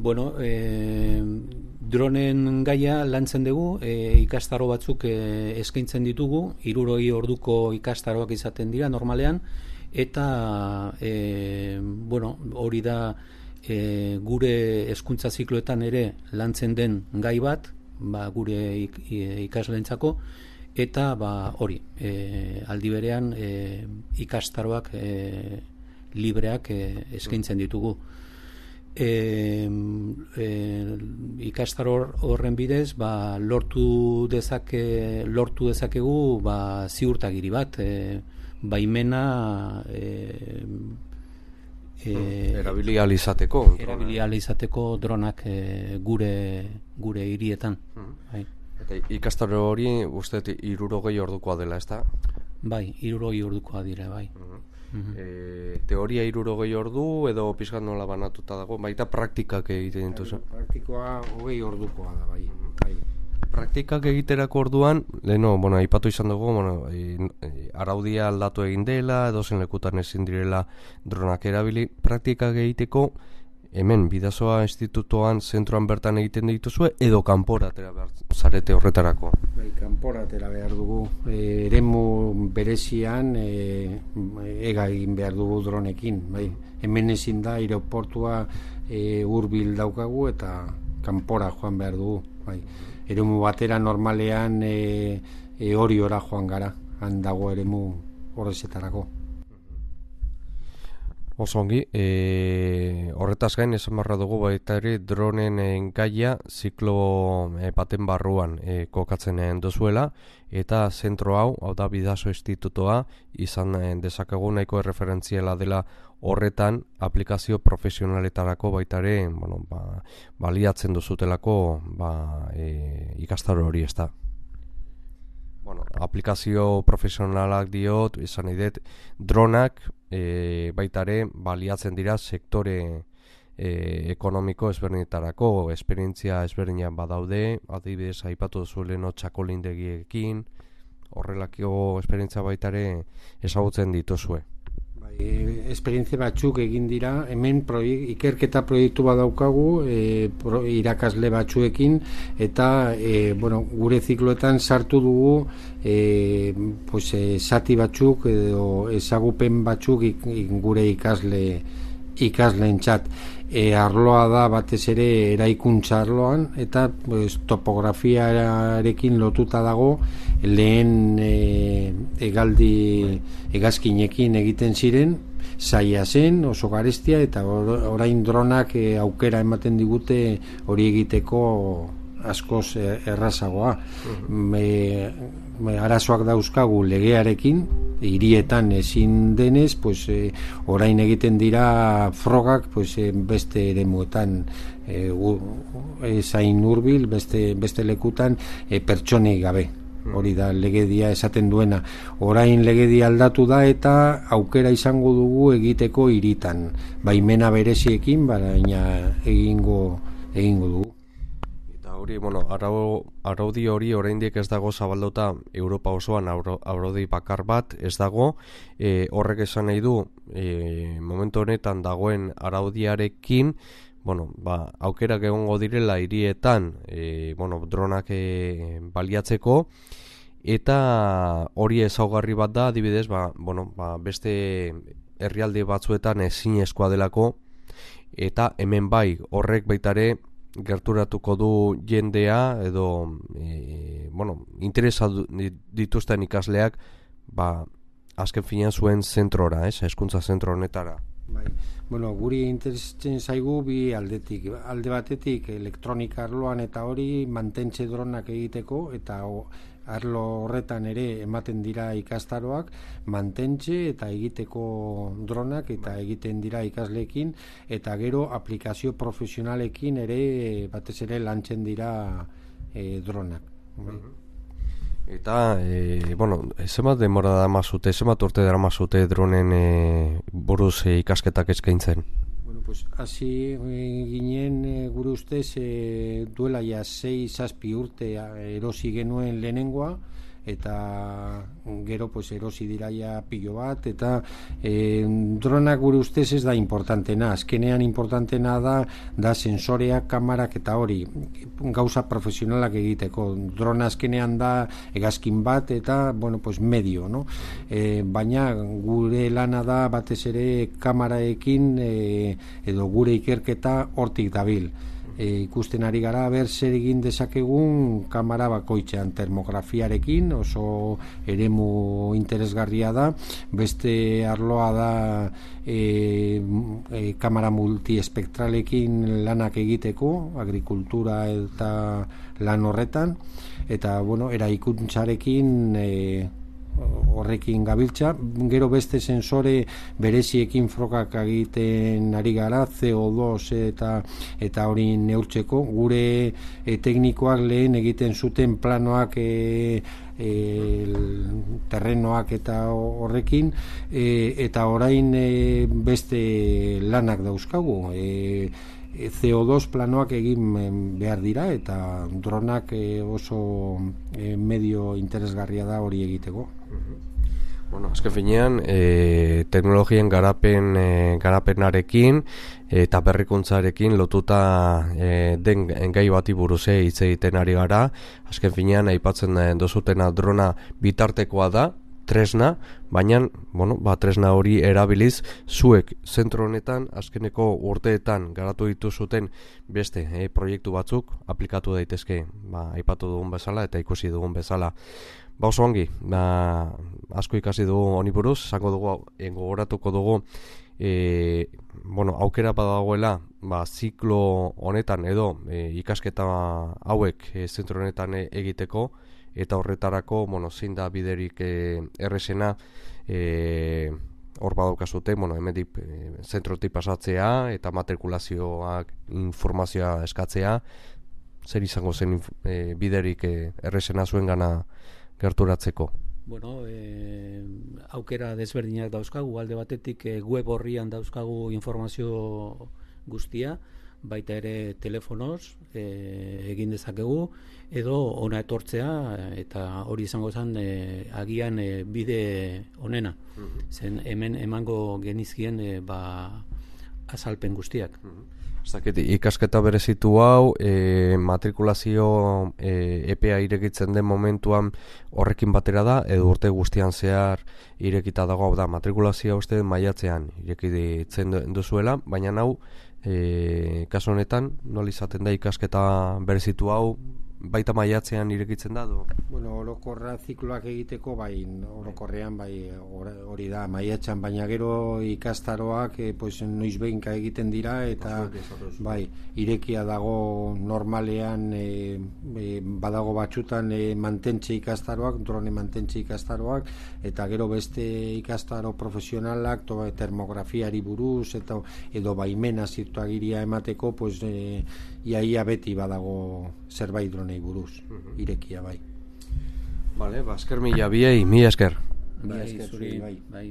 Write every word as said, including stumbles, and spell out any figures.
bueno, e, dronen gaia lantzen dugu, e, ikastaro batzuk e, eskaintzen ditugu, hirurogei orduko ikastaroak izaten dira normalean, eta e, bueno, hori da e, gure hezkuntza zikloetan ere lantzen den gai bat, ba, gure ik, ikasleentzako, eta ba, hori, e, aldi berean e, ikastaroak e, libreak e, eskaintzen ditugu. E, e, ikastaro horren bidez ba, lortu dezake lortu dezakegu ba, ziurtagiri bat, e, baimena e, e, erabili ahal izateko erabili ahal izateko dronak e, gure gure hirietan. Bai. Eta ikastaro hori uste hirurogei ordukoa dela, ezta? Bai, hirurogei ordukoa dira, bai. Uh-huh. Uh-huh. E, teoria hirurogei ordu edo pizkat nola banatuta dago, baita praktikak egiten dituzu. Praktikoa hogei ordukoa da, bai. bai. Praktikak egiterako orduan, leheno, bueno, aipatu izan dugu, bueno, e, e, araudia aldatu egin dela, edo zen lekutan ezin direla dronak erabili. Praktikak egiteko, hemen, Bidasoa institutoan, zentroan bertan egiten dituzue, edo kanpora atera behar zarete horretarako? Bai, kanpora atera behar dugu. E, eremu berezian e, ega egin behar dugu dronekin. Bai. Hemen ezin da, aeroportua e, hurbil daukagu eta kanpora joan behar dugu. Bai. Eremu batera normalean e, e, hori ora joan gara, han dago eremu horrezetarako. Oso ongi, e, horretaz gain esan barra dugu baita ere dronen gaia ziklo e, baten barruan e, kokatzen duzuela, eta zentro hau, hau da Bidaso institutoa, izan e, dezakegu nahiko erreferentziala dela horretan aplikazio profesionaletarako baita ere, bueno, ba, baliatzen duzutelako ba, e, ikastaro hori, ez da. Bueno, aplikazio profesionalak diot, izan nahi dut, dronak e, baitare baliatzen dira sektore e, ekonomiko ezberdinetarako, esperientzia ezberdinak badaude, adibidez aipatu duzueleno txakolindegiekin, horrelako esperientzia baitare ezagutzen dituzue. E, esperientzia batzuk egin dira, hemen proiek, ikerketa proiektu bat daukagu e, pro, irakasle batzuekin, eta e, bueno, gure zikloetan sartu dugu e, pues, e, zati batzuk edo ezagupen batzuk ik, ik, gure ikasle ikasleentzat. E, arloa da batez ere eraikuntza arloan, eta pues, topografiarekin lotuta dago lehen e, egaldi hegazkinekin egiten ziren, zaila zen, oso garestia, eta orain dronak e, aukera ematen digute hori egiteko askoz errazagoa. Uh-huh. Me, me arazoak dauzkagu legearekin, hirietan ezin denez, pues, e, orain egiten dira frogak pues, e, beste eremuetan e, e, zain hurbil, beste, beste lekutan e, pertsonei gabe. Hori da legedia esaten duena. Orain legedia aldatu da eta aukera izango dugu egiteko hiritan. Baimena bereziekin, baina egingo, egingo dugu. Eta hori, bueno, arau, araudi hori oraindik ez dago zabalduta Europa osoan araudi bakar bat ez dago. E, horrek esan nahi du, e, momentu honetan dagoen araudiarekin, bueno, ba, aukerak egongo direla hirietan, e, bueno, dronak e, baliatzeko, eta hori ezaugarri bat da, adibidez, ba, bueno, ba, beste herrialde batzuetan ezinezkoa delako, eta hemen bai, horrek baitare gerturatuko du jendea, edo, e, bueno, interesa dituzten ikasleak, ba, azken finean zuen zentrora, ez, hezkuntza zentro honetara. Bai. Bueno, guri interesatzen zaigu bi aldetik. Alde batetik elektronika arloan eta hori mantentze dronak egiteko, eta arlo horretan ere ematen dira ikastaroak, mantentze eta egiteko dronak eta egiten dira ikasleekin, eta gero aplikazio profesionalekin ere batez ere lantzen dira e, dronak. Bai. Eta, e, bueno, zenbat demora da mazute, zenbat urte dara mazute dronen e, buruz e, ikasketak eskaintzen? Bueno, pues, hasi ginen e, gure ustez e, duela ja sei zazpi urte erosi genuen lehenengoa, eta gero pues erosi diraia pilo bat, eta e, dronak gure ustez ez da importantena, azkenean importantena da da sensoreak, kamarak eta hori gauza profesionalak egiteko. Drona azkenean da hegazkin bat eta bueno, pues medio, no? E, baina gure lana da batez ere kamaraekin e, edo gure ikerketa hortik dabil. E, ikusten ari gara ber zer egin dezakegun kamera bakoitzean, termografiarekin oso eremu interesgarria da. Beste arloa da e, e, kamera multiespektralekin lanak egiteko, agrikultura eta lan horretan, eta bueno, eraikuntzarekin e, horrekin gabiltza. Gero beste sensore bereziekin frogak egiten ari gara, C O dos eta eta hori neurtzeko. Gure e, teknikoak lehen egiten zuten planoak e, e, terrenoak eta horrekin, e, eta orain e, beste lanak dauzkagu. E, C O dos planoak egin behar dira, eta dronak oso medio interesgarria da hori egiteko. Bueno, azken finean, e, teknologien garapen, e, garapenarekin eta berrikuntzarekin lotuta e, den gai bati buruz hitz egiten ari gara. Azken finean, aipatzen dozutena drona bitartekoa da, tresna, baina bueno, ba, tresna hori erabiliz zuek zentro honetan azkeneko urteetan garatu dituzuten beste eh, proiektu batzuk aplikatu daitezke, ba, aipatu dugun bezala eta ikusi dugun bezala. Ba, oso ongi, ba, asko ikasi dugu honi buruz, zango dugu, gogoratuko dugu e, bueno, aukera badagoela ba, ziklo honetan edo e, ikasketa hauek e, zentro honetan e, egiteko, eta horretarako, bueno, zein da biderik e, errezena e, hor badaukazute, bueno, hemendik e, zentrotik pasatzea eta matrikulazioak informazioa eskatzea, zer izango zen e, biderik e, errezena zuen gana gerturatzeko? Bueno, e, aukera desberdinak dauzkagu, alde batetik e, web horrian dauzkagu informazio guztia, baita ere telefonoz e, egin dezakegu, edo ona etortzea, eta hori izango zen e, agian e, bide onena. Mm-hmm. Zen hemen emango genizkien e, ba, azalpen guztiak. Mm-hmm. Zakit, ikasketa berezitu hau, e, matrikulazio e, epea irekitzen den momentuan horrekin batera da, edo urte guztian zehar irekita dago, da matrikulazioa uste maiatzean irekitzen duzuela, baina hau e, kasu honetan nola izaten da ikasketa berezitu hau, baita maiatzean irekitzen da do? Bueno, orokorra zikloak egiteko bai, orokorrean bai hori da maiatzean, baina gero ikastaroak e, pues, noiz behinka egiten dira, eta bai, irekia dago normalean, e, e, badago batzutan e, mantentze ikastaroak, drone mantentze ikastaroak, eta gero beste ikastaro profesionalak, to, termografiari buruz, eta edo baimena zirtuagiria emateko, pues, e, iaia beti badago zerbait dronei buruz, irekia bai. Vale, ba, esker mila biei, mila esker. Bai, zuri, bai. bai.